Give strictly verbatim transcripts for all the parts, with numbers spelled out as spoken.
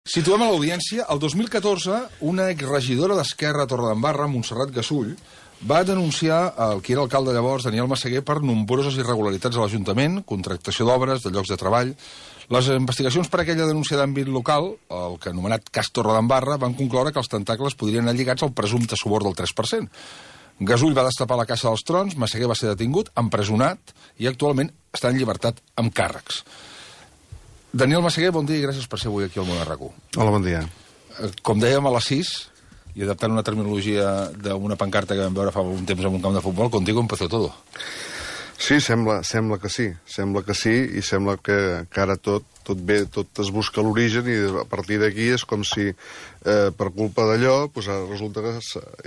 Situem a l'audiència, el dos mil catorze, una exregidora d'Esquerra a Torredembarra, Montserrat Gasull, va denunciar el que era alcalde llavors, Daniel Massaguer, per nombroses irregularitats a l'Ajuntament, contractació d'obres, de llocs de treball. Les investigacions per aquella denúncia d'àmbit local, el que anomenat cas Torredembarra, van concloure que els tentacles podrien anar lligats al presumpte suborn del tres per cent. Gasull va destapar la caixa dels trons, Massaguer va ser detingut, empresonat i actualment està en llibertat amb càrrecs. Daniel Massaguer, bon dia i gràcies per ser avui aquí al Món R Q. Hola, bon dia. Com dèiem a les sis, i adaptant una terminologia d'una pancarta que vam veure fa un temps en un camp de futbol, contigo empezó todo. Sí, sembla, sembla que sí, sembla que sí, i sembla que, que ara tot, tot bé, tot es busca l'origen, i a partir d'aquí és com si eh, per culpa d'allò pues, resulta que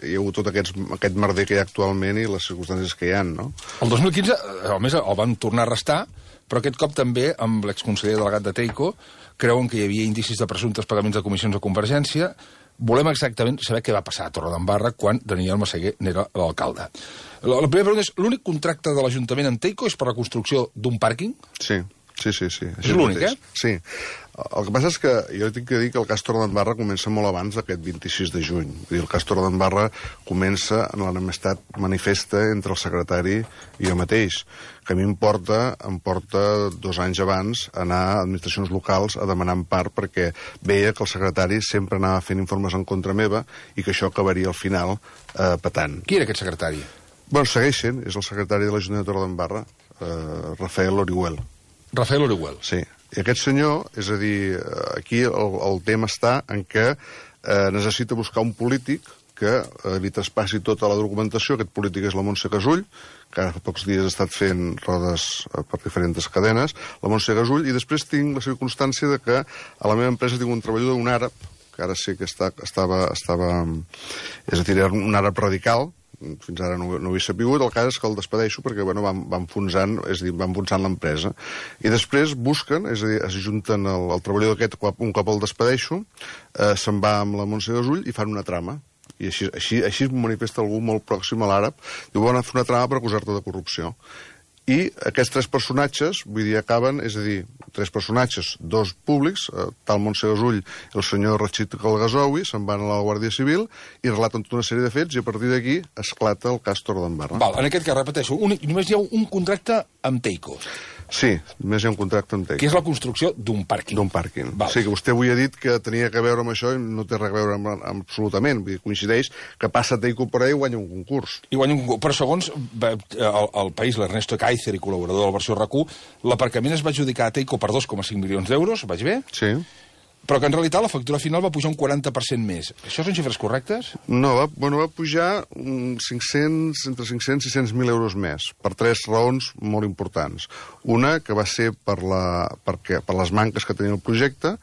hi ha hagut tot aquests, aquest merder que hi ha actualment i les circumstàncies que hi ha, no? El dos mil quinze, a més, el van tornar a arrestar, però aquest cop també, amb l'exconseller delegat de Teico, creuen que hi havia indicis de presumptes pagaments de comissions de Convergència. Volem exactament saber què va passar a Torredembarra quan Daniel Massaguer n'era l'alcalde. La, la primera pregunta és, l'únic contracte de l'Ajuntament amb Teico és per la construcció d'un pàrquing? Sí, sí, sí. sí. És l'únic, eh? Sí. El que passa és que jo tinc que dir que el cas Torredembarra comença molt abans d'aquest vint-i-sis de juny. Vull dir, el cas Torredembarra comença en l'enemistat manifesta entre el secretari i jo mateix, que a mi em porta, em porta dos anys abans anar a administracions locals a demanar empart perquè veia que el secretari sempre anava fent informes en contra meva i que això acabaria al final eh, petant. Qui era aquest secretari? Bueno, segueix sent, és el secretari de l'Ajuntament de Torredembarra, eh, Rafael Orihuel. Rafael Orihuel. Sí. I aquest senyor, és a dir, aquí el, el tema està en què eh, necessita buscar un polític que eh, li traspassi tota la documentació. Aquest polític és la Montse Gasull, que ara fa pocs dies ha estat fent rodes eh, per diferents cadenes, la Montse Gasull, i després tinc la circumstància de que a la meva empresa tinc un treballador, un àrab, que ara sé que està, estava, estava, és a dir, era un àrab radical, fins ara no, no ho he sabut, el cas és que el despedeixo perquè bueno, va, va enfonsant, és a dir, va enfonsant l'empresa. I després busquen, és a dir, es junten el, el treballador aquest, un cop el despedeixo, eh, se'n va amb la Montse Gasull i fan una trama. I així, així, així manifesta algú molt pròxim a l'àrab, diu, van a fer una trama per acusar-te de corrupció. I aquests tres personatges, vull dir, acaben, és a dir, tres personatges, dos públics, eh, tal Montse Gasull i el senyor Rachid Kalgazoui, se'n van a la Guàrdia Civil i relaten tota una sèrie de fets i a partir d'aquí esclata el cas Torredembarra. Val, en aquest cas, repeteixo, un, només hi ha un contracte amb Teico. Sí, només hi ha un contracte amb Teico. Que és la construcció d'un pàrquing. D'un pàrquing. Val. Sí, que vostè avui ha dit que tenia que veure amb això i no té res a veure amb, amb absolutament. Vull dir, coincideix que passa Teico per allà i guanya un concurs. I guanya un concurs. Però segons el, el país, l'Ernesto Kaiser i col·laborador de la versió R Q, l'aparcament es va adjudicar a Teico per dos coma cinc milions d'euros, vaig bé? Sí. Però que en realitat la factura final va pujar un quaranta per cent més. Això són xifres correctes? No, va, bueno, va pujar cinc-cents, entre cinc-cents i sis-cents mil euros més, per tres raons molt importants. Una, que va ser per, la, perquè, per les manques que tenia el projecte,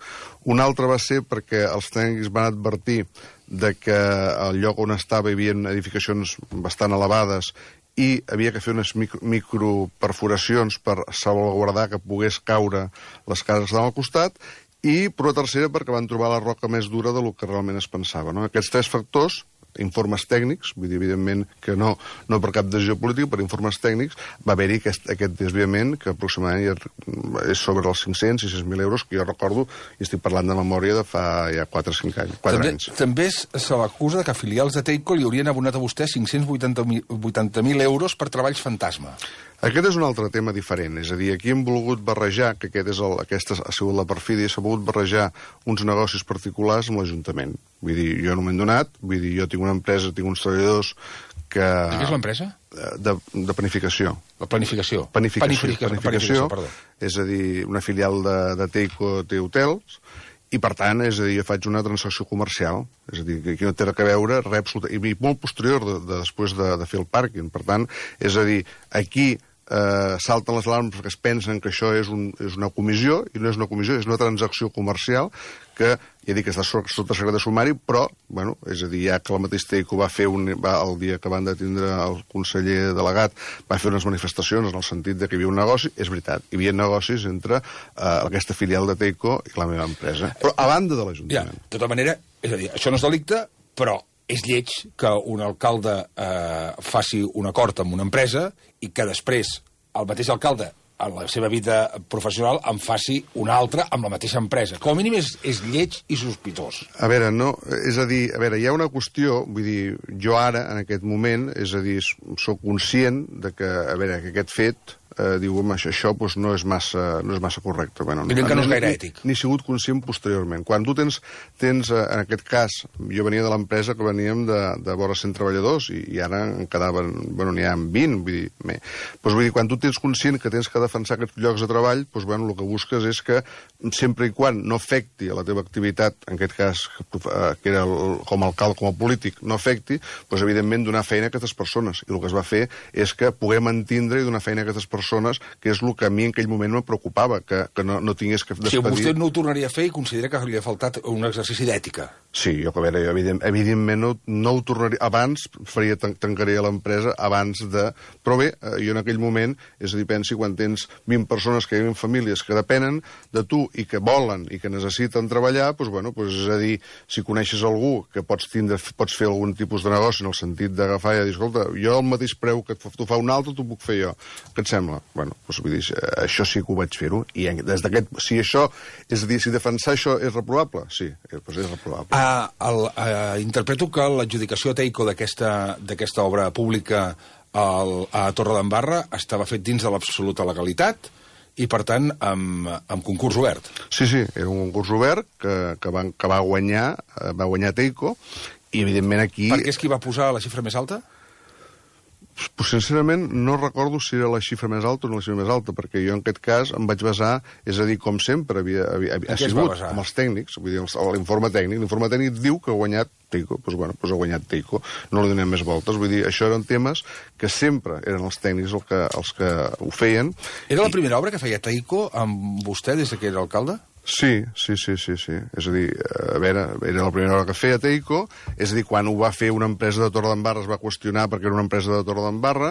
una altra va ser perquè els tècnics van advertir de que al lloc on estava hi havia edificacions bastant elevades i havia que fer unes micro, microperforacions per salvaguardar que pogués caure les cases que estaven al costat, i per una tercera perquè van trobar la roca més dura del que realment es pensava. No? Aquests tres factors, informes tècnics, vull dir, evidentment que no, no per cap decisió política, per informes tècnics, va haver-hi aquest, aquest desviament que aproximadament és sobre els cinc-cents i sis mil euros, que jo recordo, i estic parlant de memòria de fa ja quatre o cinc anys. quatre també, anys. També se l'acusa que filials de Teico li haurien abonat a vostè cinc-cents vuitanta mil euros per treballs fantasma. Aquest és un altre tema diferent, és a dir, aquí hem volgut barrejar, que aquest és el, aquesta ha sigut la perfídia, s'ha volgut barrejar uns negocis particulars amb l'Ajuntament. Vull dir, jo no m'he donat, vull dir, jo tinc una empresa, tinc uns treballadors que... I què és l'empresa? De, de planificació. La planificació. Planificació, Planificació, planificació, planificació perdó. És a dir, una filial de, de Teico té hotels, i per tant, és a dir, jo faig una transacció comercial, és a dir, que aquí no té res a veure, res absolut, i molt posterior de, de, després de, de fer el pàrquing. Per tant, és a dir, aquí eh, salten les alarmes perquè es pensen que això és, un, és una comissió, i no és una comissió, és una transacció comercial que, ja dic, està sota secret de sumari, però, bueno, és a dir, ja que el mateix Teico va fer, un, va, el dia que van detindre el conseller delegat, va fer unes manifestacions en el sentit de que hi havia un negoci, és veritat, hi havia negocis entre eh, aquesta filial de Teico i la meva empresa, però a banda de l'Ajuntament. Ja, de tota manera, és a dir, això no és delicte, però és lleig que un alcalde eh, faci un acord amb una empresa i que després el mateix alcalde en la seva vida professional en faci una altra amb la mateixa empresa. Com a mínim és, és lleig i sospitós. A veure, no, és a dir, a veure, hi ha una qüestió, vull dir, jo ara, en aquest moment, és a dir, sóc conscient de que, a veure, que aquest fet eh, diu, home, això, això doncs no és massa, no és massa correcte. Bueno, Diuen que no és gaire ni, ètic. Ni sigut conscient posteriorment. Quan tu tens, tens eh, en aquest cas, jo venia de l'empresa que veníem de, de vora cent treballadors i, i ara en quedaven, bueno, n'hi ha vint, vull dir, bé. Doncs vull dir, quan tu tens conscient que tens que defensar aquests llocs de treball, doncs bueno, el que busques és que sempre i quan no afecti a la teva activitat, en aquest cas, que era el, com a alcalde, com a polític, no afecti, doncs evidentment donar feina a aquestes persones. I el que es va fer és que puguem entendre i donar feina a aquestes persones, que és el que a mi en aquell moment me preocupava, que, que no, no tingués que despedir... Si vostè no ho tornaria a fer i considera que li ha faltat un exercici d'ètica. Sí, jo, a veure, jo evident, evidentment no, no ho tornaria... Abans faria, tancaria l'empresa abans de... Però bé, jo en aquell moment, és a dir, pensi, quan tens vint persones que viuen famílies que depenen de tu i que volen i que necessiten treballar, doncs, bueno, doncs, és a dir, si coneixes algú que pots, tindre, pots fer algun tipus de negoci en el sentit d'agafar i dir, escolta, jo el mateix preu que tu fa un altre, t'ho puc fer jo. Què et sembla? Bueno, doncs, vull dir, això sí que ho vaig fer-ho. I des d'aquest... Si això... És a dir, si defensar això és reprobable? Sí, doncs és reprobable. Uh, el, uh, interpreto que l'adjudicació a Teico d'aquesta obra pública al, a Torredembarra estava fet dins de l'absoluta legalitat i, per tant, amb, amb concurs obert. Sí, sí, era un concurs obert que, que, va, que va guanyar va guanyar Teico i, evidentment, aquí... Per què és qui va posar la xifra més alta? Pues, sincerament, no recordo si era la xifra més alta o no la xifra més alta, perquè jo en aquest cas em vaig basar, és a dir, com sempre, havia, havia, havia sigut amb els tècnics, vull dir, l'informe tècnic. L'informe tècnic diu que ha guanyat Teico, doncs, bueno, doncs ha guanyat Teico, no li donem més voltes. Vull dir, això eren temes que sempre eren els tècnics els que, els que ho feien. Era la primera obra que feia Teico amb vostè des que era alcalde? Sí, sí, sí, sí, sí. És a dir, a veure, era la primera hora que feia Teico, és a dir, quan ho va fer una empresa de Torredembarra es va qüestionar perquè era una empresa de Torredembarra,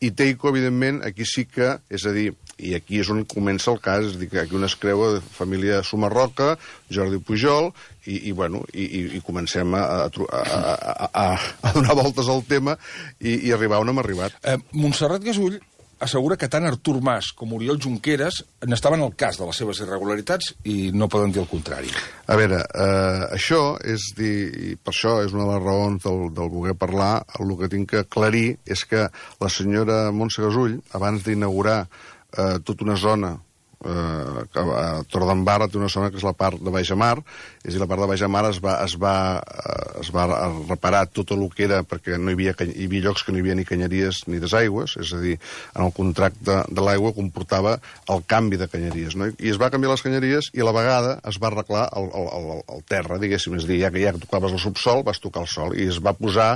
i Teico, evidentment, aquí sí que, és a dir, i aquí és on comença el cas, és a dir, que aquí un es creu de família Sumarroca, Jordi Pujol, i, i bueno, i, i, i comencem a, a, a, a, a donar voltes al tema i, i arribar on hem arribat. Eh, Montserrat Gasull assegura que tant Artur Mas com Oriol Junqueras n'estaven al cas de les seves irregularitats i no poden dir el contrari. A veure, eh, això és dir, i per això és una de les raons del, del voler parlar, el que tinc que aclarir és que la senyora Montse Gasull, abans d'inaugurar eh, tota una zona Uh, a Torredembarra té una zona que és la part de Baixamar, és a dir, la part de Baixamar es va, es va, uh, es va reparar tot el que era, perquè no hi havia, hi havia llocs que no hi havia ni canyeries ni desaigües, és a dir, en el contracte de l'aigua comportava el canvi de canyeries, no? I es va canviar les canyeries i a la vegada es va arreglar el, el, el, el terra, diguéssim, és a dir, ja que ja tocaves el subsol, vas tocar el sol, i es va posar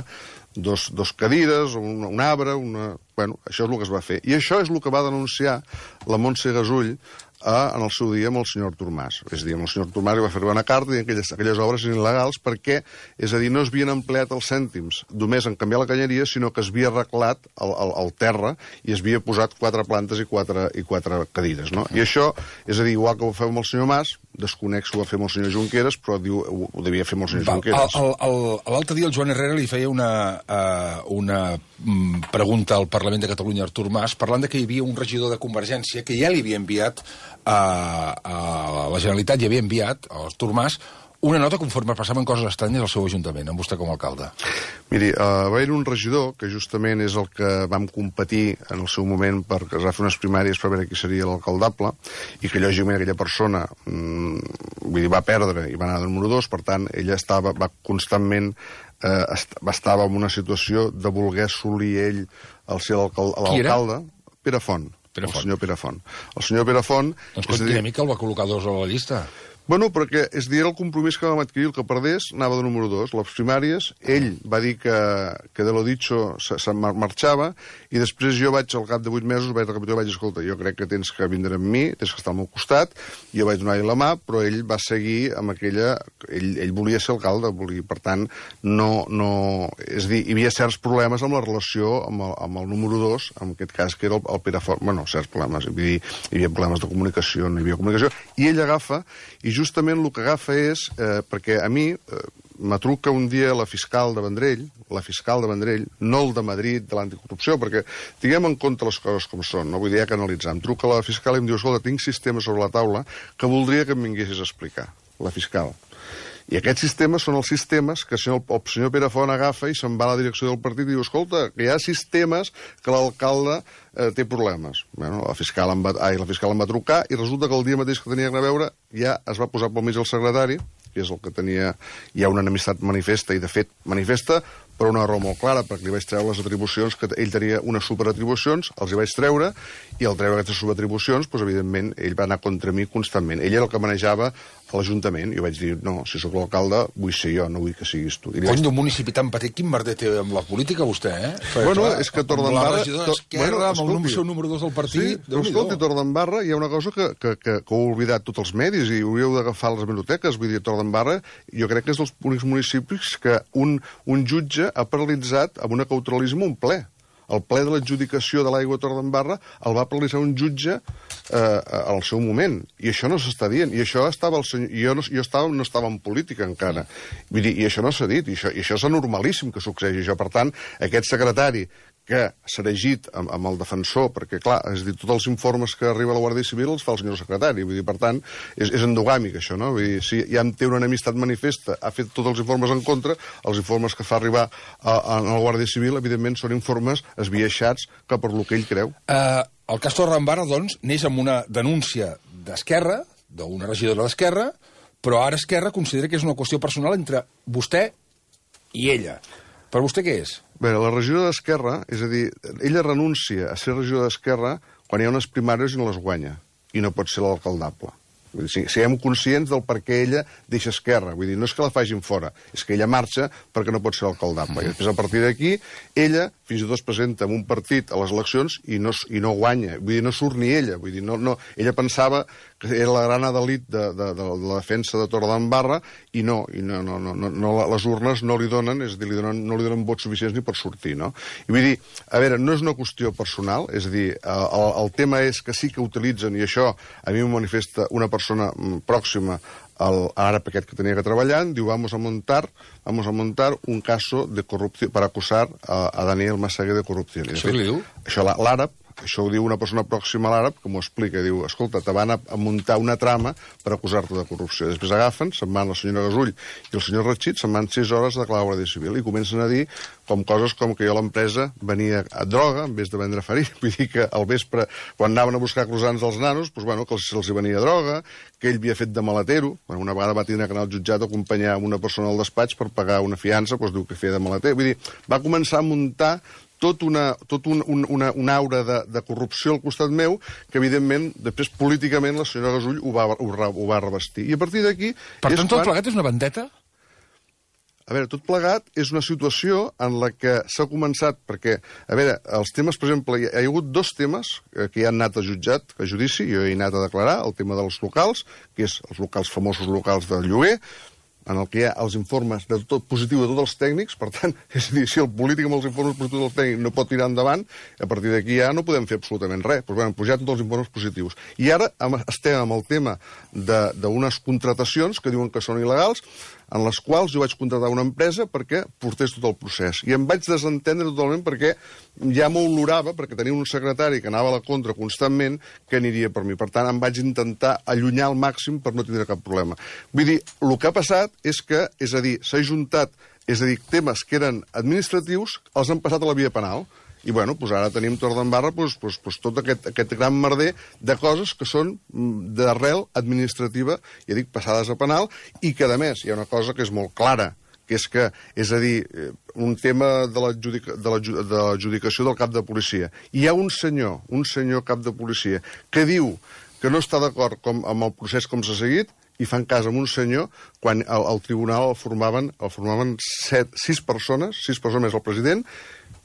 dos, dos cadires, un, un arbre, una... Bueno, això és el que es va fer. I això és el que va denunciar la Montse Gasull eh, en el seu dia amb el senyor Artur Mas. És a dir, amb el senyor Artur Mas li va fer una carta i aquelles, aquelles obres eren il·legals perquè, és a dir, no es havien empleat els cèntims només en canviar la canyeria, sinó que es havia arreglat el, el, el terra i es havia posat quatre plantes i quatre, i quatre cadires, no? I això, és a dir, igual que ho va fer amb el senyor Mas, desconec si ho va fer amb el senyor Junqueras, però diu, ho, ho devia fer amb el senyor Junqueras. L'altre dia el Joan Herrera li feia una, uh, una um, pregunta al Parlament de Catalunya, Artur Mas, parlant de que hi havia un regidor de Convergència que ja li havia enviat a, a la Generalitat, hi havia enviat, a Artur Mas, una nota conforme passaven coses estranyes al seu ajuntament, amb vostè com a alcalde. Miri, uh, va haver un regidor, que justament és el que vam competir en el seu moment perquè es va fer unes primàries per veure qui seria l'alcaldable, i que lògicament aquella persona mmm, vull dir, va perdre i va anar de número dos, per tant, ella estava, va constantment eh, est estava en una situació de voler assolir ell el ser l'alcalde. Pere Font, Pere Font. El senyor Pere Font. El senyor Pere Font... Doncs quina dir... mica el va col·locar dos a la llista. Bueno, perquè és dir, el compromís que vam adquirir, el que perdés, anava de número dos. Les primàries, ell va dir que, que de lo dicho se, se marxava, i després jo vaig, al cap de vuit mesos, vaig repetir, vaig dir, escolta, jo crec que tens que vindre amb mi, tens que estar al meu costat, i jo vaig donar-li la mà, però ell va seguir amb aquella... Ell, ell volia ser alcalde, volia, per tant, no, no... És dir, hi havia certs problemes amb la relació amb el, amb el número dos, en aquest cas, que era el, el Pere Font. Bueno, certs problemes, vull dir, hi havia problemes de comunicació, no hi havia comunicació, i ell agafa, i justament el que agafa és, eh, perquè a mi, eh, me truca un dia la fiscal de Vendrell, la fiscal de Vendrell, no el de Madrid, de l'anticorrupció, perquè tinguem en compte les coses com són, no vull dir que analitzar. Em truca la fiscal i em diu, escolta, tinc sistemes sobre la taula que voldria que em vinguessis a explicar, la fiscal. I aquests sistemes són els sistemes que el senyor, el senyor Pere Font agafa i se'n va a la direcció del partit i diu, escolta, que hi ha sistemes que l'alcalde eh, té problemes. Bueno, la fiscal, em va, ai, la fiscal em va trucar i resulta que el dia mateix que tenia que anar a veure ja es va posar pel mig el secretari, que és el que tenia ja una enemistat manifesta, i de fet manifesta per una raó molt clara, perquè li vaig treure les atribucions, que ell tenia unes superatribucions, els hi vaig treure, i al treure aquestes superatribucions, doncs, evidentment, ell va anar contra mi constantment. Ell era el que manejava l'Ajuntament. Jo vaig dir, no, si sóc l'alcalde, vull ser jo, no vull que siguis tu. Cony, d'un municipi tan petit, quin merder té amb la política, vostè, eh? Perquè, bueno, clar, és que Torredembarra... La regidora d'Esquerra, bueno, amb el seu número dos del partit... Sí, però escolti, Torredembarra hi ha una cosa que, que, que, que heu oblidat tots els medis i hauríeu d'agafar les biblioteques. Vull dir, Torredembarra, jo crec que és dels únics municipis que un, un jutge ha paralitzat amb un cautelisme un ple. El ple de l'adjudicació de l'aigua a Torredembarra el va paralitzar un jutge eh, al seu moment. I això no s'està dient. I això estava el senyor... Jo, no, jo estava, no estava en política encara. Vull dir, i això no s'ha dit. I això, i això és anormalíssim que succeeixi això. Per tant, aquest secretari que s'ha regit amb, amb el defensor, perquè, clar, és dir, tots els informes que arriba a la Guàrdia Civil els fa el senyor secretari. Vull dir, per tant, és, és endogàmic, això, no? Vull dir, si ja té una enemistat manifesta, ha fet tots els informes en contra, els informes que fa arribar a, a, a la Guàrdia Civil, evidentment, són informes esbiaixats cap per lo que ell creu. Uh, el cas Torredembarra, doncs, neix amb una denúncia d'Esquerra, d'una regidora d'Esquerra, però ara Esquerra considera que és una qüestió personal entre vostè i ella. Per vostè què és? Bé, la regidora d'Esquerra, és a dir, ella renuncia a ser regidora d'Esquerra quan hi ha unes primàries i no les guanya, i no pot ser l'alcaldable. Vull dir, siguem conscients del per què ella deixa Esquerra. Vull dir, no és que la facin fora, és que ella marxa perquè no pot ser l'alcaldable. I després, a partir d'aquí, ella fins i tot es presenta en un partit a les eleccions i no, i no guanya. Vull dir, no surt ni ella. Vull dir, no, no, ella pensava que era la gran adelit de, de, de, de la defensa de Torredembarra i no, i no, no, no, no, no, les urnes no li donen, és a dir, li donen, no li donen vots suficients ni per sortir, no? I vull dir, a veure, no és una qüestió personal, és a dir, el, el tema és que sí que utilitzen, i això a mi m'ho manifesta una persona pròxima al àrab aquest que tenia que treballar, diu, vamos a montar, vamos a montar un caso de corrupció per acusar a, a Daniel Massaguer de corrupció. Això què li diu? Això l'àrab, això ho diu una persona pròxima a l'àrab, que m'ho explica, diu, escolta, te van a, a muntar una trama per acusar-te de corrupció. Després agafen, se'n van la senyora Gasull i el senyor Ratxit, se'n van sis hores a declarar la Guàrdia Civil i comencen a dir com coses com que jo a l'empresa venia a droga en vez de vendre farina. Vull dir que al vespre, quan anaven a buscar croissants als nanos, doncs, bueno, que se'ls venia droga, que ell havia fet de maletero. Bueno, una vegada va tenir que anar al jutjat a acompanyar una persona al despatx per pagar una fiança, doncs diu que feia de maleter. Vull dir, va començar a muntar tot una, tot un, un, una, una aura de, de corrupció al costat meu, que evidentment, després políticament, la senyora Gasull ho va, ho, ho va revestir. I a partir d'aquí... Per tant, tot plegat és una vendetta? A veure, tot plegat és una situació en la que s'ha començat, perquè, a veure, els temes, per exemple, hi ha, hi ha hagut dos temes que ja han anat a jutjat, a judici, jo he anat a declarar, el tema dels locals, que és els locals famosos locals del lloguer, en el que hi ha els informes de tot positiu de tots els tècnics, per tant, és a dir, si el polític amb els informes positius dels tècnics no pot tirar endavant, a partir d'aquí ja no podem fer absolutament res. Doncs bé, hem pujat tots els informes positius. I ara estem amb el tema d'unes contratacions que diuen que són il·legals, en les quals jo vaig contratar una empresa perquè portés tot el procés. I em vaig desentendre totalment perquè ja m'olorava, perquè tenia un secretari que anava a la contra constantment, que aniria per mi. Per tant, em vaig intentar allunyar al màxim per no tindre cap problema. Vull dir, el que ha passat és que, és a dir, s'ha juntat, és a dir, temes que eren administratius, els han passat a la via penal. I, bueno, doncs ara tenim Torredembarra doncs, doncs, doncs, tot aquest, aquest gran merder de coses que són d'arrel administrativa, ja dic, passades a penal, i que, a més, hi ha una cosa que és molt clara, que és que, és a dir, un tema de l'adjudicació del cap de policia. Hi ha un senyor, un senyor cap de policia, que diu que no està d'acord amb el procés com s'ha seguit, i fan cas amb un senyor quan al, al tribunal el formaven, el formaven set, sis persones, sis persones més el president,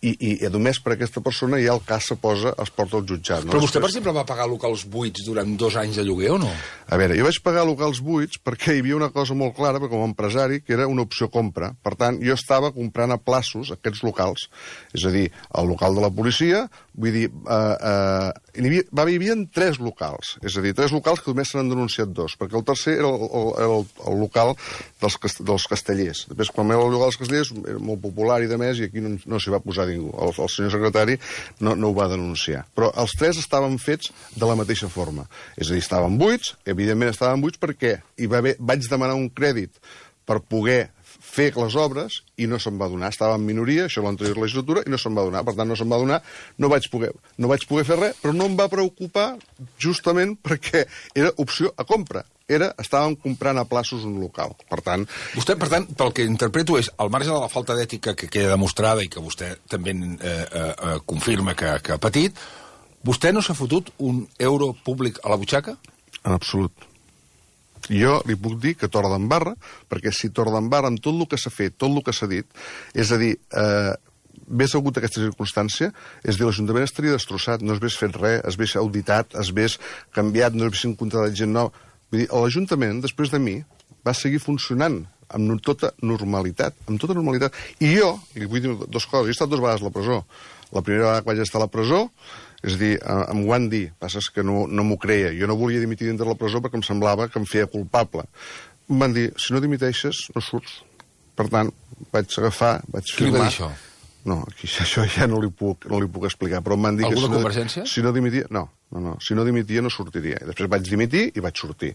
i, i, i només per aquesta persona ja el cas se posa, es porta al jutjat. No? Però vostè, per exemple, va pagar locals buits durant dos anys de lloguer o no? A veure, jo vaig pagar locals buits perquè hi havia una cosa molt clara, perquè com a empresari, que era una opció compra. Per tant, jo estava comprant a plaços aquests locals. És a dir, el local de la policia, vull dir, eh, eh, hi havia, va, hi havia tres locals. És a dir, tres locals que només se n'han denunciat dos, perquè el tercer era el, el, el, el local dels, dels castellers. Després, quan era el local dels castellers, era molt popular i de més, i aquí no, no s'hi va posar ningú. El, el senyor secretari no, no ho va denunciar. Però els tres estaven fets de la mateixa forma. És a dir, estaven buits, evidentment estaven buits perquè hi va haver, vaig demanar un crèdit per poder fer les obres i no se'm va donar. Estava en minoria, això l'anterior legislatura, i no se'm va donar. Per tant, no se'm va donar, no vaig poder, no vaig poder fer res, però no em va preocupar justament perquè era opció a compra. Era, estàvem comprant a plaços un local. Per tant... Vostè, per tant, pel que interpreto és, al marge de la falta d'ètica que queda demostrada i que vostè també eh, eh, confirma que, que ha patit, vostè no s'ha fotut un euro públic a la butxaca? En absolut. Jo li puc dir que Torredembarra, perquè si Torredembarra, amb tot el que s'ha fet, tot el que s'ha dit, és a dir, eh, ves hagut aquesta circumstància, és dir, l'Ajuntament estaria destrossat, no es ves fet res, es ves auditat, es ves canviat, no es ves contratat gent nova. Vull dir, l'Ajuntament, després de mi, va seguir funcionant amb tota normalitat, amb tota normalitat. I jo, i li vull dir dues coses, jo he estat dues vegades a la presó. La primera vegada que vaig estar a la presó, és a dir, em ho van dir, passa que no, no m'ho creia. Jo no volia dimitir dintre la presó perquè em semblava que em feia culpable. Em van dir, si no dimiteixes, no surts. Per tant, vaig agafar, vaig firmar... Qui li va dir això? No, aquí, això ja no li puc, no li puc explicar, però em van dir Alguna que... Alguna convergència? Si no dimitia... No, no, no. Si no dimitia no sortiria. I després vaig dimitir i vaig sortir.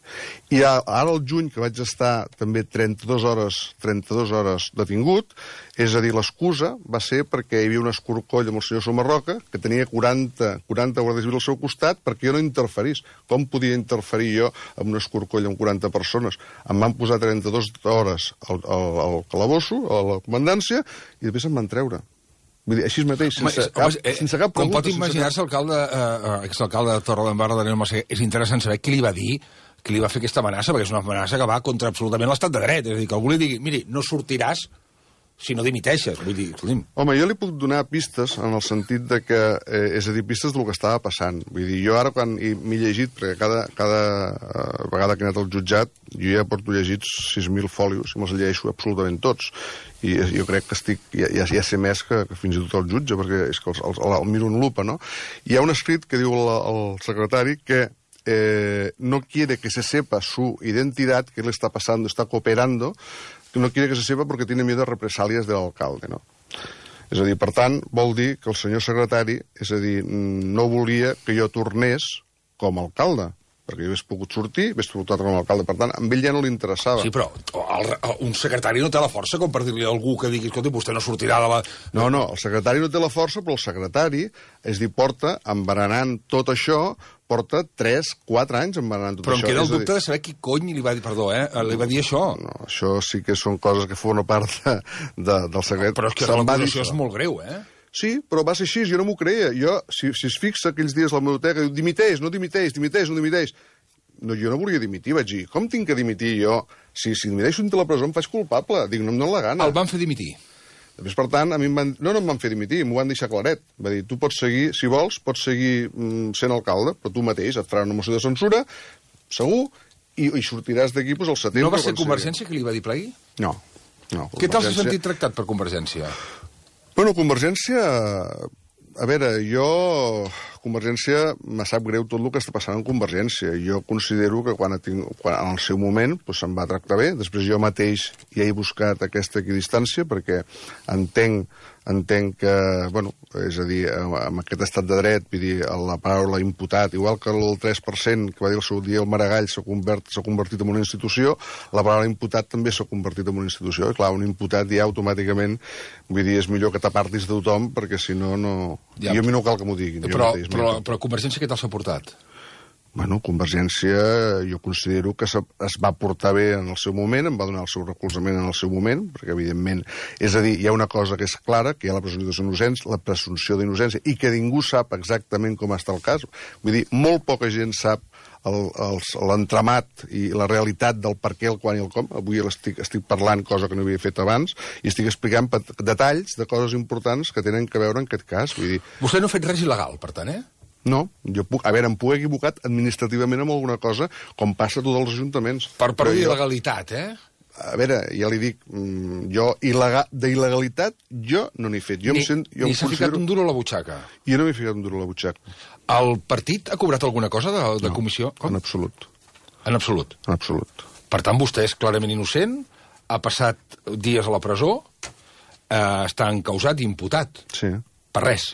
I ara al juny, que vaig estar també trenta-dues hores, trenta-dues hores detingut, és a dir, l'excusa va ser perquè hi havia un escorcoll amb el senyor Somarroca que tenia quaranta, quaranta guàrdies civils al seu costat perquè jo no interferís. Com podia interferir jo amb un escorcoll amb quaranta persones? Em van posar trenta-dues hores al, al, al calabosso, a la comandància, i després em van treure. Vull dir, així mateix, sense, home, cap, home, eh, sense cap pregunta. Com pot imaginar-se, alcalde, eh, exalcalde de Torredembarra, Daniel Massaguer, és interessant saber qui li va dir, qui li va fer aquesta amenaça, perquè és una amenaça que va contra absolutament l'estat de dret. És a dir, que algú li digui, miri, no sortiràs si no dimiteixes. Vull dir, escolti'm. Home, jo li puc donar pistes en el sentit de que, eh, és a dir, pistes del que estava passant. Vull dir, jo ara quan m'he llegit, perquè cada, cada uh, vegada que he anat al jutjat, jo ja porto llegits sis mil fòlios i me'ls llegeixo absolutament tots. I jo crec que estic, ja, ja, ja sé més que, que fins i tot el jutge, perquè és que els, els, el, el miro en lupa, no? Hi ha un escrit que diu el, el secretari que eh, no quiere que se sepa su identidad, que le está pasando, está cooperando, que no quiere que se sepa porque tiene miedo a represalias del alcalde, no? És a dir, per tant, vol dir que el senyor secretari, és a dir, no volia que jo tornés com a alcalde, perquè jo hagués pogut sortir, hagués pogut tornar com a alcalde. Per tant, a ell ja no li interessava. Sí, però el, el, un secretari no té la força com per dir-li a algú que digui, escolta, vostè no sortirà de la... No, no, el secretari no té la força, però el secretari, és dir, porta embaranant tot això, porta tres, quatre anys embaranant tot però això. Però em queda el dir... dubte de saber qui cony li va dir, perdó, eh, li va dir això. No, això sí que són coses que formen part de, de, del secret. Però és que l'acusació és molt greu, eh? Sí, però va ser així, jo no m'ho creia. Jo, si, si es fixa aquells dies a la biblioteca, diu, dimiteix, no dimiteix, dimiteix, no dimiteix. No, jo no volia dimitir, vaig dir, com tinc que dimitir jo? Si, si dimiteixo dintre la presó em faig culpable, dic, no em dóna la gana. El van fer dimitir? Després, per tant, a mi em van... No, no em van fer dimitir, m'ho van deixar claret. Va dir, tu pots seguir, si vols, pots seguir mm, sent alcalde, però tu mateix et farà una moció de censura, segur, i, i sortiràs d'aquí doncs, al setembre... No va ser Convergència que li va dir plegui? No. no Què tal s'ha sentit tractat per Convergència? Bueno, Convergència... A veure, jo... Convergència, me sap greu tot el que està passant en Convergència. Jo considero que quan, tinc, quan en el seu moment doncs, se'm va tractar bé. Després jo mateix ja he buscat aquesta equidistància perquè entenc, entenc que, bueno, és a dir, amb aquest estat de dret, vull dir, la paraula imputat, igual que el tres per cent que va dir el seu dia el Maragall s'ha convert, convertit en una institució, la paraula imputat també s'ha convertit en una institució. I clar, un imputat ja automàticament, vull dir, és millor que t'apartis de tothom perquè si no, no... Ja, jo a mi no cal que m'ho diguin. Però, mateix, però, però Convergència què tal s'ha portat? Bueno, Convergència, jo considero que es va portar bé en el seu moment, em va donar el seu recolzament en el seu moment, perquè, evidentment, és a dir, hi ha una cosa que és clara, que hi ha la presumpció d'innocència, la presumpció d'innocència, i que ningú sap exactament com està el cas. Vull dir, molt poca gent sap l'entramat i la realitat del per què, el quan i el com. Avui estic, estic parlant, cosa que no havia fet abans, i estic explicant detalls de coses importants que tenen que veure en aquest cas. Vull dir... Vostè no ha fet res il·legal, per tant, eh? No, jo puc, a veure, em puc equivocat administrativament amb alguna cosa, com passa a tots els ajuntaments. Per per il·legalitat, eh? A veure, ja li dic, jo d'il·legalitat jo no n'he fet. Jo ni em sent, jo ni s'ha considero... ficat un duro a la butxaca? Jo no m'he ficat un duro a la butxaca. El partit ha cobrat alguna cosa de, de no, comissió? Com? En absolut. En absolut? En absolut. Per tant, vostè és clarament innocent, ha passat dies a la presó, eh, està encausat i imputat. Sí. Per res.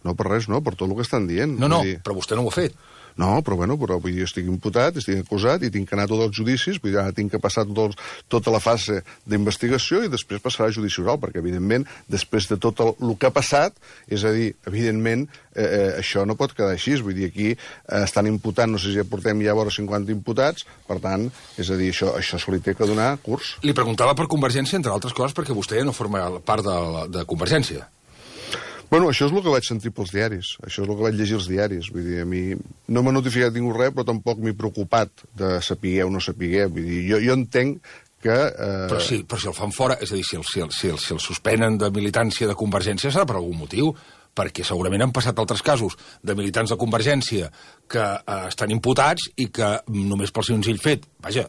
No, per res, no, per tot el que estan dient. No, no, dir... però vostè no ho ha fet. No, però bueno, però vull dir, estic imputat, estic acusat i tinc que anar a tots els judicis, vull dir, ara tinc que passar tot, tota la fase d'investigació i després passarà a judici oral, perquè, evidentment, després de tot el, el que ha passat, és a dir, evidentment, eh, eh, això no pot quedar així, vull dir, aquí eh, estan imputant, no sé si ja portem ja vora cinquanta imputats, per tant, és a dir, això, això se li té que donar curs. Li preguntava per Convergència, entre altres coses, perquè vostè no forma part de, de Convergència. Bueno, això és el que vaig sentir pels diaris, això és el que vaig llegir als diaris, vull dir, a mi no m'ha notificat ningú res, però tampoc m'he preocupat de saber o no saber, vull dir, jo, jo entenc que... Eh... Però, si, però si el fan fora, és a dir, si el, si, el, si, el, si el suspenen de militància de Convergència serà per algun motiu, perquè segurament han passat altres casos de militants de Convergència que eh, estan imputats i que només pel senzill fet, vaja,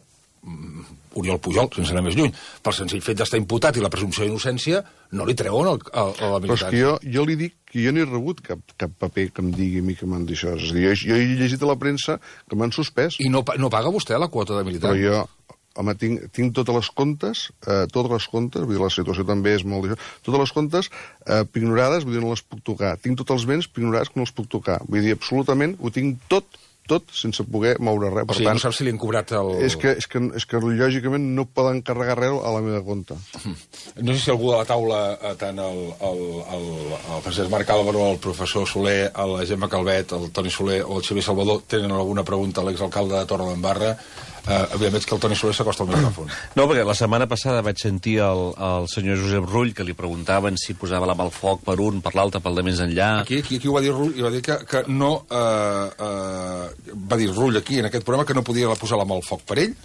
Oriol Pujol, sense anar més lluny, pel senzill fet d'estar imputat i la presumpció d'innocència, no li treuen el, el, a la militància. Però és que jo, jo li dic que jo no he rebut cap, cap paper que em digui a mi que m'han dit això. És a dir, jo, jo he llegit a la premsa que m'han suspès. I no, no paga vostè la quota de militant? Però jo, home, tinc, tinc totes les comptes, eh, totes les comptes, vull dir, la situació també és molt... Totes les comptes eh, pignorades, vull dir, no les puc tocar. Tinc tots els béns pignorats que no els puc tocar. Vull dir, absolutament, ho tinc tot tot sense poder moure res. O sigui, tant, no saps si li han cobrat el... És que, és, que, és que lògicament no poden carregar res a la meva compte. No sé si algú de la taula, tant el, el, el, el Francesc Marc Álvaro, el professor Soler, la Gemma Calvet, el Toni Soler o el Xavier Salvador, tenen alguna pregunta a l'exalcalde de Torredembarra. Uh, evidentment veig que el Toni Soler s'acosta al micròfon. No, perquè la setmana passada vaig sentir el, el senyor Josep Rull que li preguntaven si posava la mà al foc per un, per l'altre, pel de més enllà. Aquí, aquí, aquí ho va dir Rull, i va dir que, que no... Uh, uh, va dir Rull aquí, en aquest programa, que no podia posar la mà al foc per ell.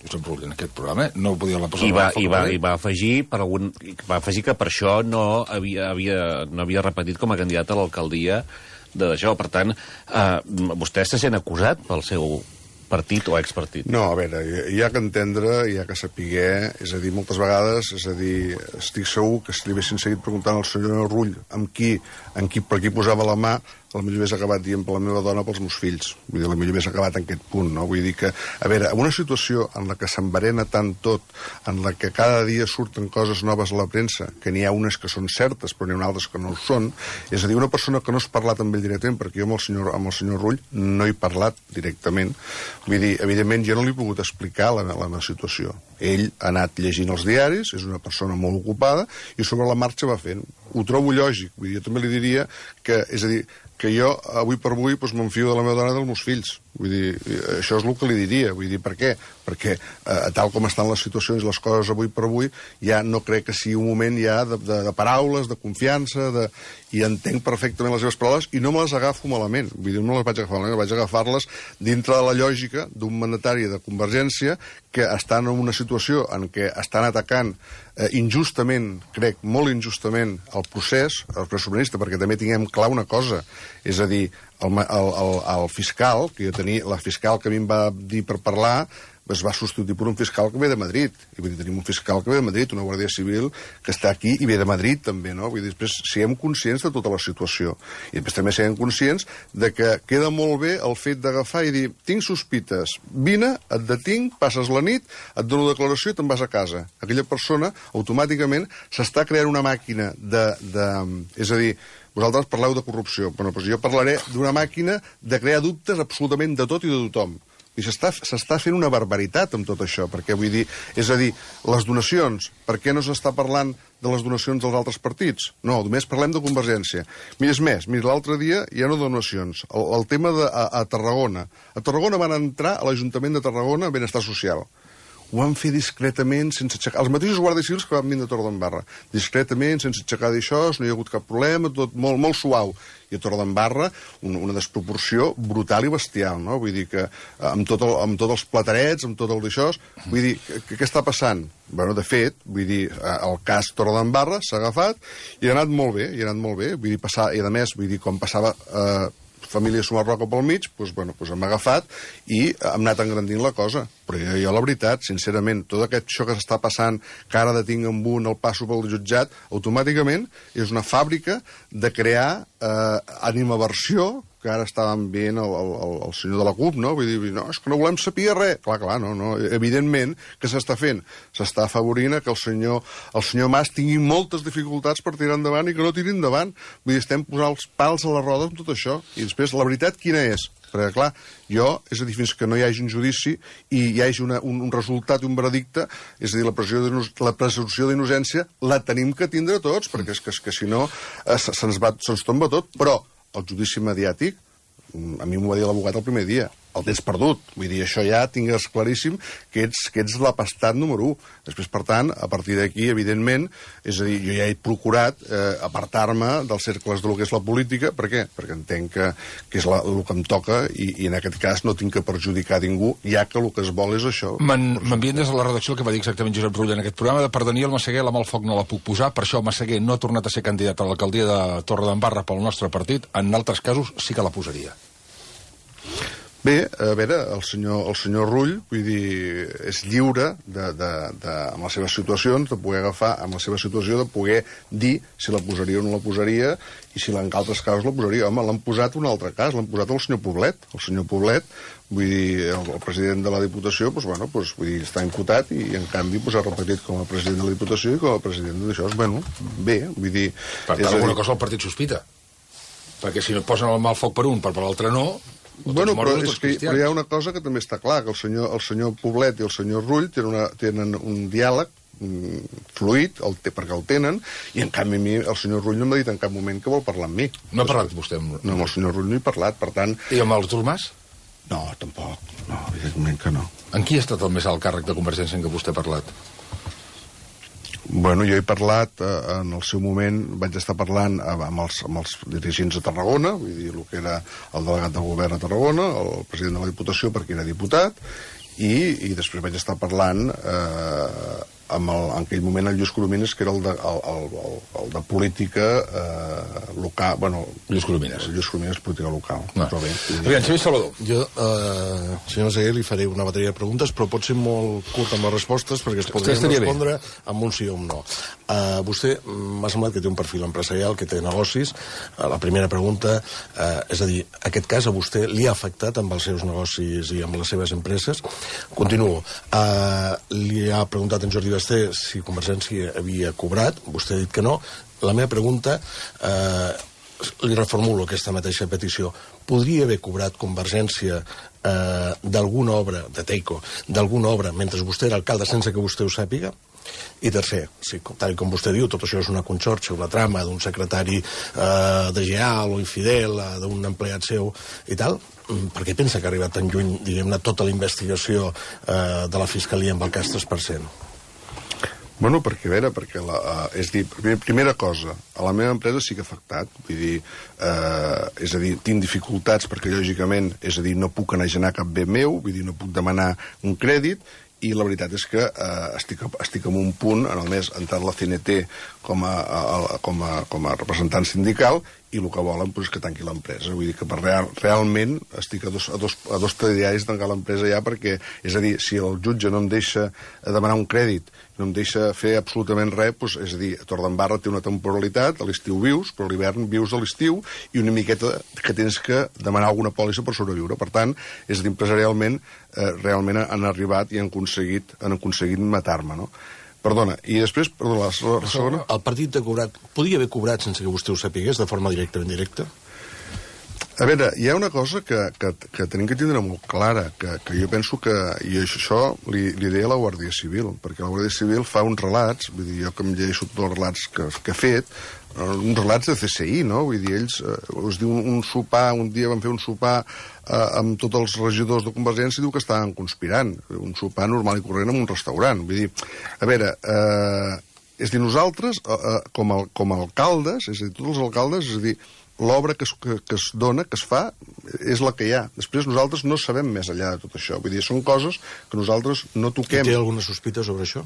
Josep Rull, en aquest programa, no podia la posar I la mà va, al foc i va, per ell. I va afegir, per algun, va afegir que per això no havia, havia, no havia repetit com a candidat a l'alcaldia d'això. Per tant, uh, vostè se sent acusat pel seu partit o expartit? No, a veure, hi ha que entendre, hi ha que saber, és a dir, moltes vegades, és a dir, estic segur que si li haguessin seguit preguntant al senyor Rull amb qui, amb qui, per qui posava la mà, potser hauria acabat dient per la meva dona pels meus fills. Vull dir, potser hauria acabat en aquest punt, no? Vull dir que, a veure, en una situació en la que s'enverena tant tot, en la que cada dia surten coses noves a la premsa, que n'hi ha unes que són certes, però n'hi ha altres que no ho són, és a dir, una persona que no has parlat amb ell directament, perquè jo amb el senyor, amb el senyor Rull no he parlat directament, vull dir, evidentment jo no li he pogut explicar la, la meva situació. Ell ha anat llegint els diaris, és una persona molt ocupada, i sobre la marxa va fent. Ho trobo lògic, vull dir, jo també li diria que, és a dir, que jo, avui per avui, doncs, m'enfio de la meva dona i dels meus fills. Vull dir, això és el que li diria. Vull dir, per què? Perquè, eh, tal com estan les situacions i les coses avui per avui, ja no crec que sigui un moment ja de, de, de paraules, de confiança, de... i entenc perfectament les seves paraules i no me les agafo malament. Vull dir, no me les vaig agafar malament, vaig agafar-les dintre de la lògica d'un mandatari de Convergència que estan en una situació en què estan atacant eh, injustament, crec, molt injustament, el procés, el procés sobiranista, perquè també tinguem clar una cosa, és a dir, el, el, el, el fiscal, que jo tenia, la fiscal que a mi em va dir per parlar, es va substituir per un fiscal que ve de Madrid. I vull dir, tenim un fiscal que ve de Madrid, una Guàrdia Civil que està aquí i ve de Madrid també, no? Vull dir, després siguem conscients de tota la situació. I després també siguem conscients de que queda molt bé el fet d'agafar i dir, tinc sospites, vine, et detinc, passes la nit, et dono declaració i te'n vas a casa. Aquella persona, automàticament, s'està creant una màquina de... de és a dir, vosaltres parleu de corrupció, però doncs jo parlaré d'una màquina de crear dubtes absolutament de tot i de tothom. I s'està fent una barbaritat amb tot això, perquè vull dir, és a dir, les donacions, per què no s'està parlant de les donacions dels altres partits? No, només parlem de Convergència. Mira, és més, mira, l'altre dia ja no donacions, el, el tema de a, a Tarragona. A Tarragona van entrar a l'Ajuntament de Tarragona Benestar Social. Ho van fer discretament, sense aixecar... Els mateixos guàrdies civils que van venir de Torredembarra. Discretament, sense aixecar d'això, no hi ha hagut cap problema, tot molt, molt suau. I a Torredembarra, una, una desproporció brutal i bestial, no? Vull dir que amb, tot el, amb tots els platarets, amb tot el d'això... Vull dir, què està passant? Bueno, de fet, vull dir, el cas Torredembarra s'ha agafat i ha anat molt bé, i ha anat molt bé. Vull dir, passar... I a més, vull dir, com passava... Eh, família Sumarroca pel mig, doncs, bueno, doncs hem agafat i hem anat engrandint la cosa. Però jo, jo la veritat, sincerament, tot aquest això que s'està passant, que ara detinc amb un, el passo pel jutjat, automàticament és una fàbrica de crear eh, animaversió, que ara estàvem veient el, el, el senyor de la CUP, no? Vull dir, no, és que no volem saber res. Clar, clar, no, no. Evidentment, què s'està fent? S'està afavorint que el senyor, el senyor Mas tingui moltes dificultats per tirar endavant i que no tiri endavant. Vull dir, estem posant els pals a les rodes amb tot això. I després, la veritat, quina és? Perquè, clar, jo, és a dir, fins que no hi hagi un judici i hi hagi una, un, un resultat i un veredicte, és a dir, la, la presumpció d'innocència la tenim que tindre tots, perquè és que, és que si no eh, se'ns se tomba tot. Però el judici mediàtic, a mi m'ho va dir l'advocat el primer dia, el tens perdut. Vull dir, això ja tingues claríssim que ets, que ets l'apastat número u. Després, per tant, a partir d'aquí, evidentment, és a dir, jo ja he procurat eh, apartar-me dels cercles del que és la política. Per què? Perquè entenc que, que és la, el que em toca i, i en aquest cas no tinc que perjudicar ningú, ja que el que es vol és això. M'envien des de la redacció el que va dir exactament Josep Rull en aquest programa, de per Daniel Massaguer la mà al foc no la puc posar, per això Massaguer no ha tornat a ser candidat a l'alcaldia de Torredembarra pel nostre partit, en altres casos sí que la posaria. Bé, a veure, el senyor, el senyor Rull, vull dir, és lliure de, de, de, amb les seves situacions, de poder agafar, amb la seva situació, de poder dir si la posaria o no la posaria, i si en altres casos la posaria. Home, l'han posat un altre cas, l'han posat el senyor Poblet. El senyor Poblet, vull dir, el, el president de la Diputació, doncs, bueno, doncs, vull dir, està imputat i, en canvi, pues, ha repetit com a president de la Diputació i com a president d'això. Bueno, bé, vull dir... Per tant, alguna dir... cosa el partit sospita. Perquè si no posen el mal foc per un, per per l'altre no... Bueno, però, és que, però hi ha una cosa que també està clar, que el senyor, el senyor Poblet i el senyor Rull tenen, una, tenen un diàleg mm, fluid, el, perquè el tenen, i en canvi a mi el senyor Rull no m'ha dit en cap moment que vol parlar amb mi. No ha parlat vostè amb... No, amb el senyor Rull no he parlat, per tant... I amb Artur Mas? No, tampoc. No, evidentment que no. En qui ha estat el més alt càrrec de Convergència en què vostè ha parlat? Bueno, jo he parlat, eh, en el seu moment, vaig estar parlant amb els, amb els dirigents de Tarragona, vull dir, el que era el delegat del govern a Tarragona, el president de la Diputació, perquè era diputat, i, i després vaig estar parlant eh, amb el, en aquell moment el Lluís Coromines, que era el de, el, el, el, el de política eh, local, bueno... Lluís Coromines. El Lluís Coromines, política local. No. Però bé. Aviam, Xavier Salvador. Jo, eh, senyor Massaguer, li faré una bateria de preguntes, però pot ser molt curt amb les respostes, perquè es podrien respondre bé amb un sí o un no. Uh, vostè m'ha semblat que té un perfil empresarial, que té negocis. Uh, la primera pregunta, uh, és a dir, aquest cas a vostè li ha afectat amb els seus negocis i amb les seves empreses? Continuo. Uh, li ha preguntat en Jordi Basté si Convergència havia cobrat, vostè ha dit que no. La meva pregunta, eh, li reformulo aquesta mateixa petició. Podria haver cobrat Convergència eh, d'alguna obra, de Teico, d'alguna obra, mentre vostè era alcalde, sense que vostè ho sàpiga? I tercer, sí, tal com vostè diu, tot això és una conxorxa, una trama d'un secretari eh, de Geal o infidel, eh, d'un empleat seu i tal. Per què pensa que ha arribat tan lluny, diguem-ne, tota la investigació eh, de la Fiscalia amb el cas tres per cent? Bueno, perquè, a veure, perquè la, uh, és dir, primera cosa, a la meva empresa sí que ha afectat, vull dir, uh, és a dir, tinc dificultats perquè, lògicament, és a dir, no puc enagenar cap bé meu, vull dir, no puc demanar un crèdit, i la veritat és que eh, estic, estic en un punt, en el mes, entrat la C N T com a, a, com a, com a representant sindical, i el que volen doncs, és que tanqui l'empresa. Vull dir que per real, realment estic a dos, a dos, a dos telediaris de tancar l'empresa ja, perquè, és a dir, si el jutge no em deixa demanar un crèdit, no em deixa fer absolutament res, doncs, és a dir, Torredembarra té una temporalitat, a l'estiu vius, però a l'hivern vius a l'estiu, i una miqueta que tens que demanar alguna pòlissa per sobreviure. Per tant, és a dir, empresarialment, eh, realment han arribat i han aconseguit, han aconseguit matar-me, no? Perdona, i després, perdona, la, la segona... El partit ha cobrat, podia haver cobrat sense que vostè ho sapigués, de forma directa o indirecta? A veure, hi ha una cosa que, que, que tenim que tindre molt clara, que, que jo penso que, i això li, li deia a la Guàrdia Civil, perquè la Guàrdia Civil fa uns relats, vull dir, jo que em llegeixo tots els relats que, que ha fet, uns relats de C S I, no? Vull dir, ells, eh, us diu un, un sopar, un dia van fer un sopar eh, amb tots els regidors de Convergència i diu que estaven conspirant, un sopar normal i corrent en un restaurant. Vull dir, a veure, eh, és dir, nosaltres, eh, eh, com, a, com a alcaldes, és a dir, tots els alcaldes, és a dir, l'obra que, es, que, que es dona, que es fa, és la que hi ha. Després nosaltres no sabem més enllà de tot això. Vull dir, són coses que nosaltres no toquem. Té alguna sospita sobre això?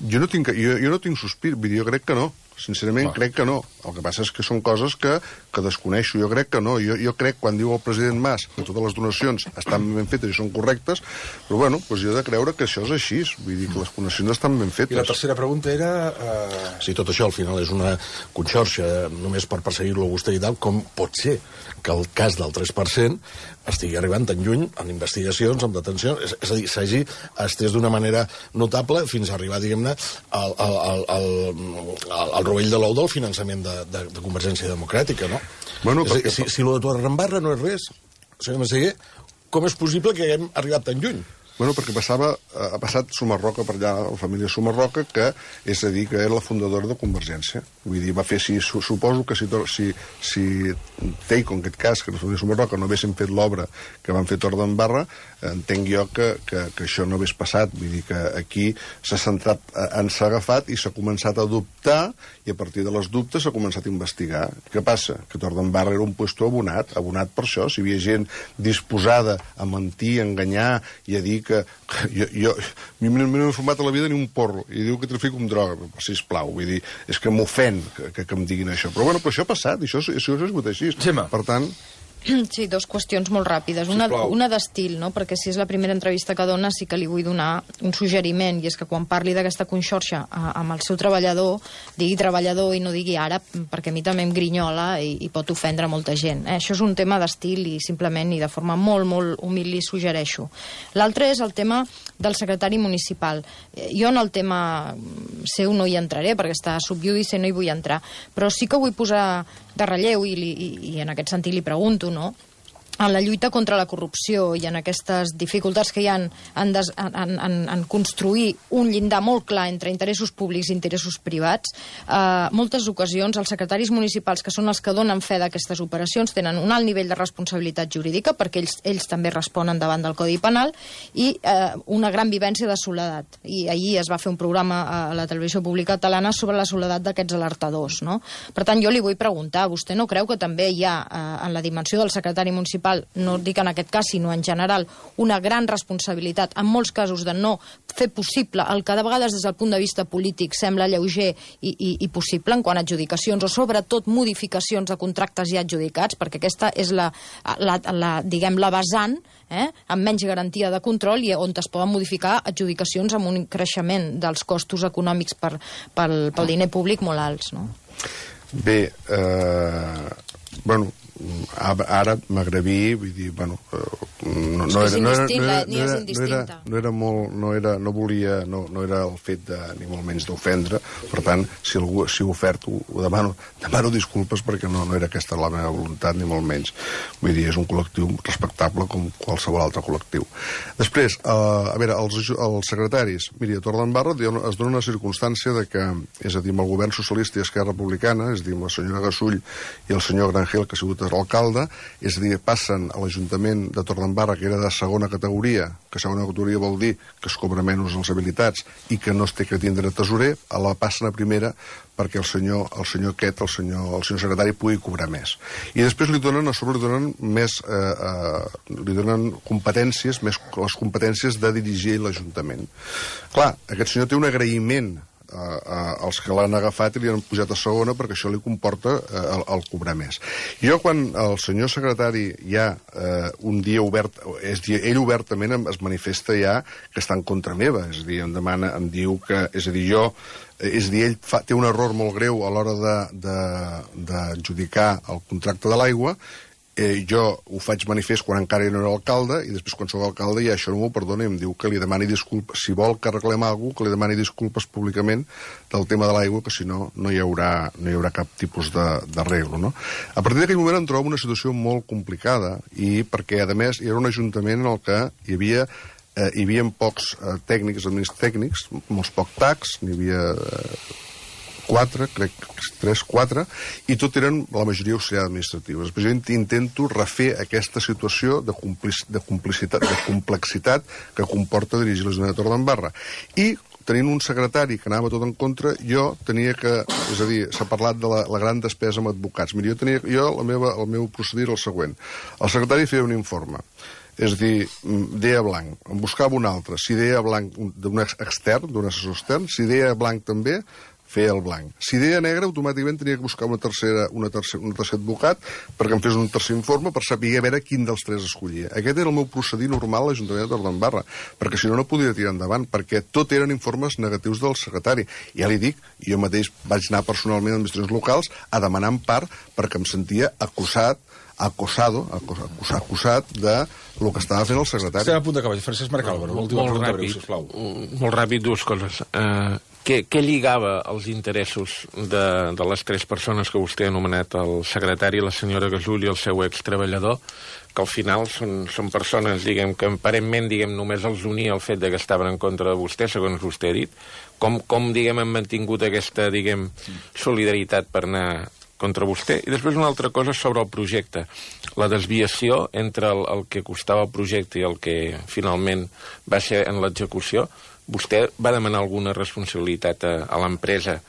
Jo no tinc, jo, jo no tinc sospir, vull dir, jo crec que no. Sincerament, ah. crec que no. El que passa és que són coses que, que desconeixo. Jo crec que no. Jo, jo crec, quan diu el president Mas que totes les donacions estan ben fetes i són correctes, però bueno, doncs jo he de creure que això és així. Vull dir que les donacions estan ben fetes. I la tercera pregunta era... Uh... Si tot això al final és una conxorxa només per perseguir-lo a vostè i tal, com pot ser que el cas del tres per cent estigui arribant tan lluny en investigacions, en detencions, és, és a dir, s'hagi estès d'una manera notable fins a arribar, diguem-ne, al, al, al, al, al rovell de l'ou del finançament de, de, de Convergència Democràtica, no? Bueno, és perquè... dir, si, si lo de Torredembarra no és res, senyor Massaguer, com és possible que haguem arribat tan lluny? Bueno, perquè passava, ha passat Sumarroca per allà, la família Sumarroca, que és a dir, que era la fundadora de Convergència. Vull dir, va fer, si, suposo que si, si, si Teico, en aquest cas, que la família Sumarroca no haguessin fet l'obra que van fer Torredembarra, entenc jo que, que, que això no hagués passat. Vull dir que aquí s'ha centrat, ens s'ha agafat i s'ha començat a dubtar, i a partir de les dubtes s'ha començat a investigar. Què passa? Que Torredembarra era un puesto abonat, abonat per això. Si hi havia gent disposada a mentir, a enganyar i a dir que jo, jo, jo no m'he format a la vida ni un porro i diu que trafico amb droga, sisplau, vull dir, és que m'ofèn que, que, que em diguin això, però bueno, però això ha passat, i això, això és sigut així. Gemma. Per tant, Sí, dos qüestions molt ràpides. Una, una d'estil, no? Perquè si és la primera entrevista que dona, sí que li vull donar un suggeriment, i és que quan parli d'aquesta conxorxa amb el seu treballador, digui treballador i no digui àrab, perquè a mi també em grinyola i, i pot ofendre molta gent. Eh? Això és un tema d'estil i simplement i de forma molt, molt humil li suggereixo. L'altre és el tema del secretari municipal. Jo en el tema seu no hi entraré, perquè està subjudice, no hi vull entrar, però sí que vull posar de relleu, i, li, i, i en aquest sentit li pregunto, no?, en la lluita contra la corrupció i en aquestes dificultats que hi ha en, des, en, en, en construir un llindar molt clar entre interessos públics i interessos privats, eh, moltes ocasions els secretaris municipals, que són els que donen fe d'aquestes operacions, tenen un alt nivell de responsabilitat jurídica, perquè ells, ells també responen davant del Codi Penal, i eh, una gran vivència de soledat. I ahir es va fer un programa a la televisió pública catalana sobre la soledat d'aquests alertadors, no? Per tant, jo li vull preguntar, vostè no creu que també hi ha, eh, en la dimensió del secretari municipal, no dic en aquest cas, sinó en general, una gran responsabilitat, en molts casos, de no fer possible el que de vegades des del punt de vista polític sembla lleuger i, i, i possible en quant a adjudicacions, o sobretot modificacions de contractes ja adjudicats, perquè aquesta és la, la, la diguem, la vessant, eh, amb menys garantia de control, i on es poden modificar adjudicacions amb un creixement dels costos econòmics per, pel, pel diner públic molt alts, no? Bé, eh, bueno, ara magrebí, vull dir, bueno, no, no, era, no, era, no, era, no, era, no, era, no era molt, no era, no volia, no, no era el fet de, ni molt menys d'ofendre, per tant, si algú si ho ofert, ho, ho demano, demano disculpes, perquè no, no era aquesta la meva voluntat, ni molt menys. Vull dir, és un col·lectiu respectable com qualsevol altre col·lectiu. Després, eh, a veure, els, els secretaris, miri, a Torredembarra es dona una circumstància de que, és a dir, amb el govern socialista i Esquerra Republicana, és a dir, amb la senyora Gasull i el senyor Grangel, que ha sigut l'alcalde, és a dir, passen a l'Ajuntament de Torredembarra, que era de segona categoria, que segona categoria vol dir que es cobra menys les habilitats i que no es té que tindre tesorer, a la passen a primera perquè el senyor, el senyor aquest, el senyor, el senyor secretari, pugui cobrar més. I després li donen, a sobre li donen més, eh, eh, li donen competències, més les competències de dirigir l'Ajuntament. Clar, aquest senyor té un agraïment als que l'han agafat i li han pujat a segona, perquè això li comporta eh, el, el cobrar més. Jo, quan el senyor secretari ja eh, un dia obert, és dir, ell obertament es manifesta ja que està en contra meva, és a dir, em demana, em diu que, és a dir, jo és a dir, ell fa, té un error molt greu a l'hora d'adjudicar el contracte de l'aigua. Eh, jo ho faig manifest quan encara no era alcalde, i després quan soc alcalde ja això no m'ho perdona i em diu que li demani disculpes, si vol que arreglem alguna cosa, que li demani disculpes públicament del tema de l'aigua, que si no, no hi haurà, no hi haurà cap tipus d'arreglo, no? A partir d'aquell moment em trobo una situació molt complicada, i perquè, a més, era un ajuntament en el que hi havia, eh, hi havia pocs eh, tècnics, administratius tècnics, molts pocs tacs, n'hi havia... Eh, quatre, crec que tres, quatre, i tot eren la majoria auxiliar administrativa. Després jo intento refer aquesta situació de, complic de, complicitat, de complexitat que comporta dirigir l'Ajuntament de Torredembarra. I tenint un secretari que anava tot en contra, jo tenia que... És a dir, s'ha parlat de la, la gran despesa amb advocats. Mira, jo tenia... Jo, la meva, el meu procedir era el següent. El secretari feia un informe. És a dir, deia blanc, en buscava un altre. Si deia blanc d'un extern, d'un assessor extern, si deia blanc també, feia el blanc. Si deia negre, automàticament tenia que buscar una tercera, una tercera, un tercer advocat perquè em fes un tercer informe per saber a veure quin dels tres escollia. Aquest era el meu procedir normal a l'Ajuntament de Torredembarra, perquè si no, no podia tirar endavant, perquè tot eren informes negatius del secretari. Ja li dic, jo mateix vaig anar personalment a administracions locals a demanar empar perquè em sentia acusat acosado, acusat, acusat de el que estava fent el secretari. Estem a punt d'acabar. Francesc Marc Álvaro, l'última pregunta breu, sisplau. Molt ràpid, dues coses. Uh, què, què lligava els interessos de, de les tres persones que vostè ha anomenat, el secretari, la senyora Gasull i el seu extreballador, que al final són, són persones, diguem, que aparentment, diguem, només els unia el fet de que estaven en contra de vostè, segons vostè ha dit. Com, com diguem, han mantingut aquesta, diguem, solidaritat per anar contra vostè? I després una altra cosa sobre el projecte. La desviació entre el, el que costava el projecte i el que finalment va ser en l'execució. Vostè va demanar alguna responsabilitat a, a l'empresa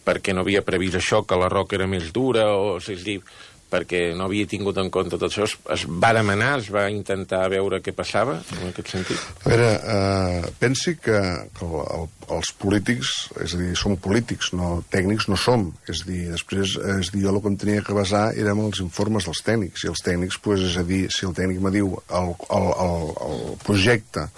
perquè no havia previst això, que la roca era més dura, o és dir, perquè no havia tingut en compte tot això? Es, es va demanar, es va intentar veure què passava, en aquest sentit? A veure, eh, pensi que, que el, el, els polítics, és a dir, som polítics, no tècnics no som. És a dir, després, és a dir, jo el que em tenia que basar eren els informes dels tècnics, i els tècnics, pues, és a dir, si el tècnic me diu el, el, el, el projecte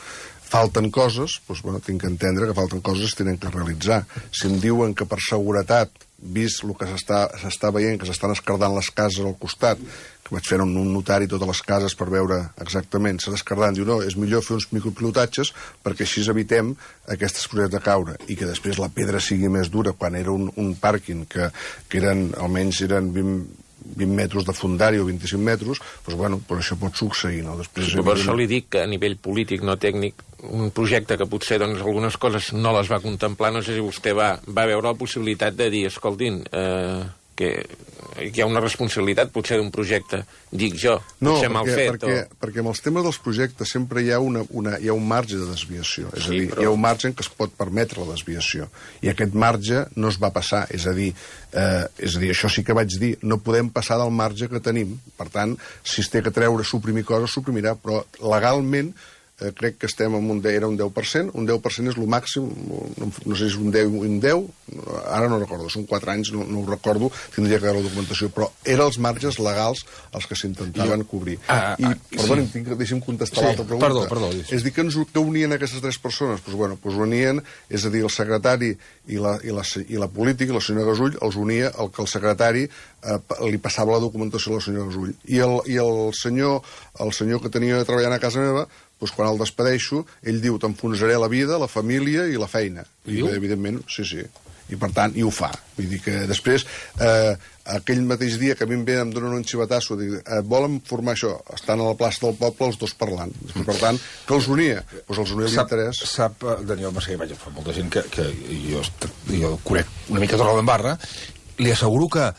falten coses, doncs, bueno, tinc que entendre que falten coses que tenen que realitzar. Si em diuen que per seguretat, vist el que s'està veient, que s'estan escardant les cases al costat, que vaig fer un, un notari totes les cases per veure exactament, s'ha d'escardant, diu, no, és millor fer uns micropilotatges perquè així evitem aquestes coses de caure, i que després la pedra sigui més dura. Quan era un, un pàrquing que, que eren, almenys eren vint, vint metres de fundari o vint-i-cinc metres, doncs, bueno, però això pot succeir, no? Després, sí, per això li dic que a nivell polític, no tècnic, un projecte que potser, doncs, algunes coses no les va contemplar, no sé si vostè va, va veure la possibilitat de dir, escoltin, eh, que hi ha una responsabilitat, potser, d'un projecte, dic jo, no, potser mal fet. Perquè, o... perquè amb els temes dels projectes sempre hi ha, una, una, hi ha un marge de desviació. És sí, a dir, però... hi ha un marge en què es pot permetre la desviació. I aquest marge no es va passar. És a dir, eh, és a dir, això sí que vaig dir, no podem passar del marge que tenim. Per tant, si es té que treure, suprimir coses, suprimirà, però legalment Eh, crec que estem en un, era un deu per cent, un deu per cent és el màxim, no, no sé si és un deu o un deu, ara no recordo, són quatre anys, no, no ho recordo, tindria que veure la documentació, però eren els marges legals els que s'intentaven cobrir. Ah, I, ah, perdoni, sí. deixi'm contestar sí, l'altra pregunta. Perdó, perdó. És dir, que ens que unien aquestes tres persones? Doncs, bueno, doncs unien, és a dir, el secretari i la, i la, i la política, la senyora Gasull, els unia el que el secretari eh, li passava la documentació a la senyora Gasull. I el, i el senyor, el senyor que tenia treballant a casa meva, doncs quan el despedeixo, ell diu, t'enfonsaré la vida, la família i la feina. I, evidentment, sí, sí. I per tant, i ho fa. Vull dir que després, eh, aquell mateix dia que a mi em ve, em donen un xivatasso, dic, eh, volen formar això? Estan a la plaça del poble els dos parlant. Després, per tant, que els unia? Doncs els unia l'interès. Sap, Daniel Massaguer, vaja, fa molta gent que, que jo, jo conec una mica Torredembarra, li asseguro que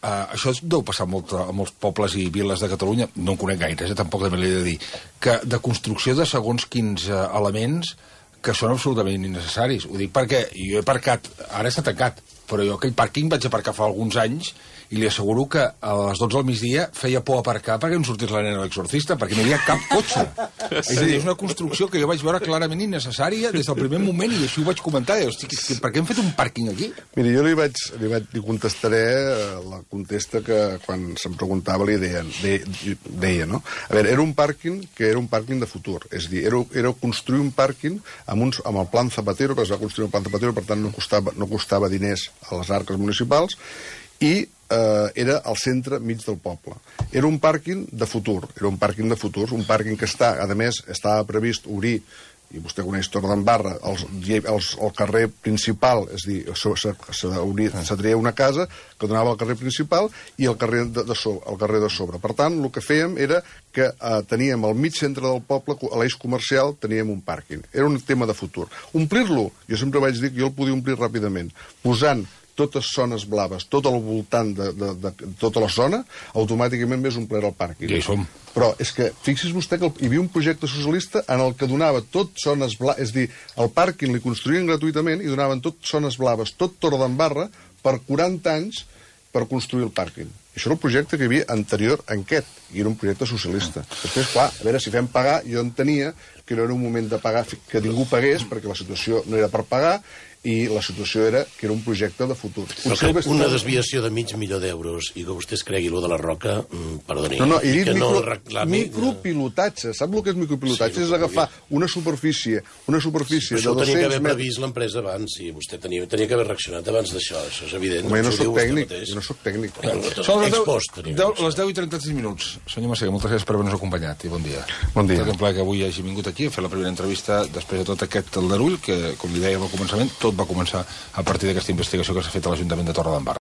Uh, això deu passar molt a molts pobles i viles de Catalunya, no en conec gaires, eh, tampoc també l'he de dir, que de construcció de segons quins uh, elements que són absolutament innecessaris. Ho dic perquè jo he aparcat, ara està tancat, però jo aquell pàrquing vaig aparcar fa alguns anys i li asseguro que a les dotze del migdia feia por aparcar perquè em sortís la nena de l'exorcista, perquè no hi havia cap cotxe. Sí. És a dir, és una construcció que jo vaig veure clarament innecessària des del primer moment, i així ho vaig comentar. I, hosti, per què hem fet un pàrquing aquí? Mira, jo li vaig, li vaig li contestaré la contesta que quan se'm preguntava li deien, de, deia, no? A veure, era un pàrquing que era un pàrquing de futur. És a dir, era, era construir un pàrquing amb, uns, amb el plan Zapatero, que es va construir el plan Zapatero, per tant no costava, no costava diners a les arques municipals, i eh, era al centre mig del poble. Era un pàrquing de futur, era un pàrquing de futur, un pàrquing que està, a més, estava previst obrir, i vostè coneix Torredembarra, el, el, el carrer principal, és a dir, s'atreia una casa que donava al carrer principal i el carrer de, de, sobre, el carrer de sobre. Per tant, el que fèiem era que eh, teníem al mig centre del poble, a l'eix comercial, teníem un pàrquing. Era un tema de futur. Omplir-lo, jo sempre vaig dir que jo el podia omplir ràpidament, posant totes zones blaves, tot al voltant de, de, de, de tota la zona, automàticament més omplert el pàrquing. Ja hi som. Però és que, fixi's vostè que hi havia un projecte socialista en el que donava tot zones blaves, és a dir, el pàrquing li construïen gratuïtament i donaven tot zones blaves, tot Torredembarra, per quaranta anys per construir el pàrquing. I això era el projecte que hi havia anterior a aquest, i era un projecte socialista. Després, clar, a veure, si fem pagar, jo entenia que no era un moment de pagar, que ningú pagués, perquè la situació no era per pagar, i la situació era que era un projecte de futur. Però que una desviació de mig milió d'euros i que vostè es cregui lo de la Roca, mm, perdoni, no, no, he dit que micro, no reclami... micropilotatge. Sap el que és micropilotatge? Sí, és agafar una superfície, una superfície sí, de dos cents metres... Això ho tenia que haver previst l'empresa abans, i vostè tenia, tenia que haver reaccionat abans d'això, això és evident. Home, jo no soc tècnic, jo no soc tècnic. Són les deu i trenta-sis minuts. Senyor Massaguer, moltes gràcies per haver-nos acompanyat i bon dia. Bon dia. És un plaer que avui hagi vingut aquí a fer la primera entrevista després de tot aquest aldarull, que, com li dèiem al començament, tot va començar a partir d'aquesta investigació que s'ha fet a l'Ajuntament de Torredembarra.